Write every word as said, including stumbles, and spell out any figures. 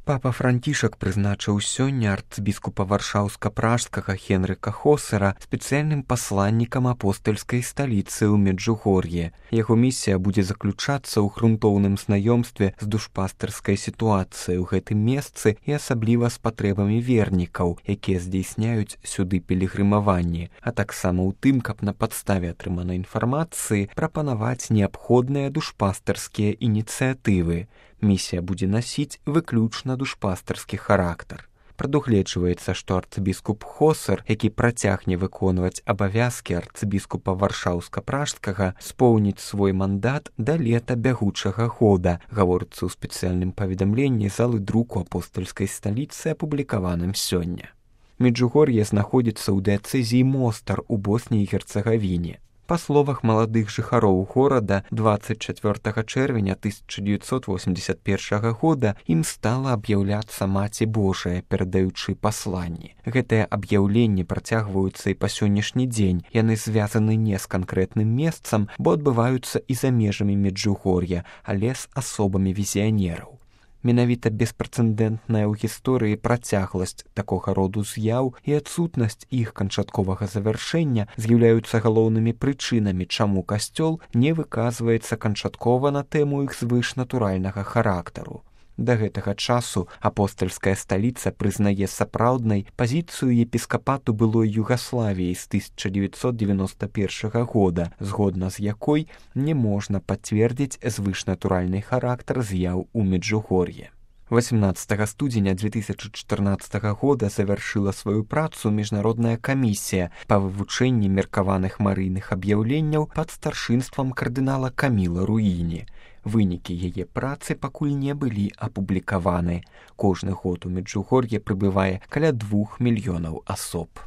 Папа Францішак прызначыў сёння арцбіскупа варшаўска-пражскага Хенрыка Хосера спецыяльным пасланнікам апостальскай сталіцы ў Меджугор'е. Яго місія будзе заключацца ў грунтоўным знаёмстве з душпастырскай сітуацыяй у гэтым месцы і асабліва з патрэбамі вернікаў, якія здзейсняюць сюды пілігрымаванні, а таксама ў тым, каб на падставе атрыманай інфармацыі прапанаваць неабходныя душпастырскія ініцыятывы. Місія будзе насіць выключна душпастырскі характар. Прадугледжваецца, што арцыбіскуп Хосер, які працягне выконваць абавязкі арцыбіскупа варшаўска-пражскага, споўніць свой мандат да лета бягучага года, гаворыцца ў спецыяльным паведамленні залы друку апостальскай сталіцы, апублікаваным сёння. Меджугор'е знаходзіцца ў дыяцэзіі Мостар у Боснії і Герцагавіне. Па словах маладых жыхароў горада, дваццаць чацвёртага чэрвеня тысяча дзевяцьсот восемьдесят першага года ім стала аб'яўляцца Маці Божая, перадаючы пасланні. Гэтыя аб'яўленні працягваюцца і па сённяшні дзень. Яны звязаны не з канкрэтным месцам, бо адбываюцца і за межамі Меджугор'я, але з асобамі візіянераў. Менавіта беспрэцэдэнтная ў гісторыі працягласць такога роду з'яў і адсутнасць іх канчатковага завяршэння з'яўляюцца галоўнымі прычынамі, чаму касцёл не выказваецца канчаткова на тэму іх звышнатуральнага характару. Да гэтага часу апостальская сталіца прызнае сапраўднай пазіцыю епіскапату былой Югаславіі з тысяча дзевяцьсот девяносто першага года, згодна з якой не можна пацвердзіць звышнатуральны характар з'яў у Меджугор'е. восемнадцатага студзеня две тысячи чатырнаццатага года завяршыла сваю працу міжнародная камісія па вывучэнні меркаваных марыйных аб'яўленняў пад старшынствам кардынала Каміла Руіні. Вынікі яе працы пакуль не былі апублікаваны. Кожны год у Меджугор'е прыбывае каля двух мільёнаў асоб.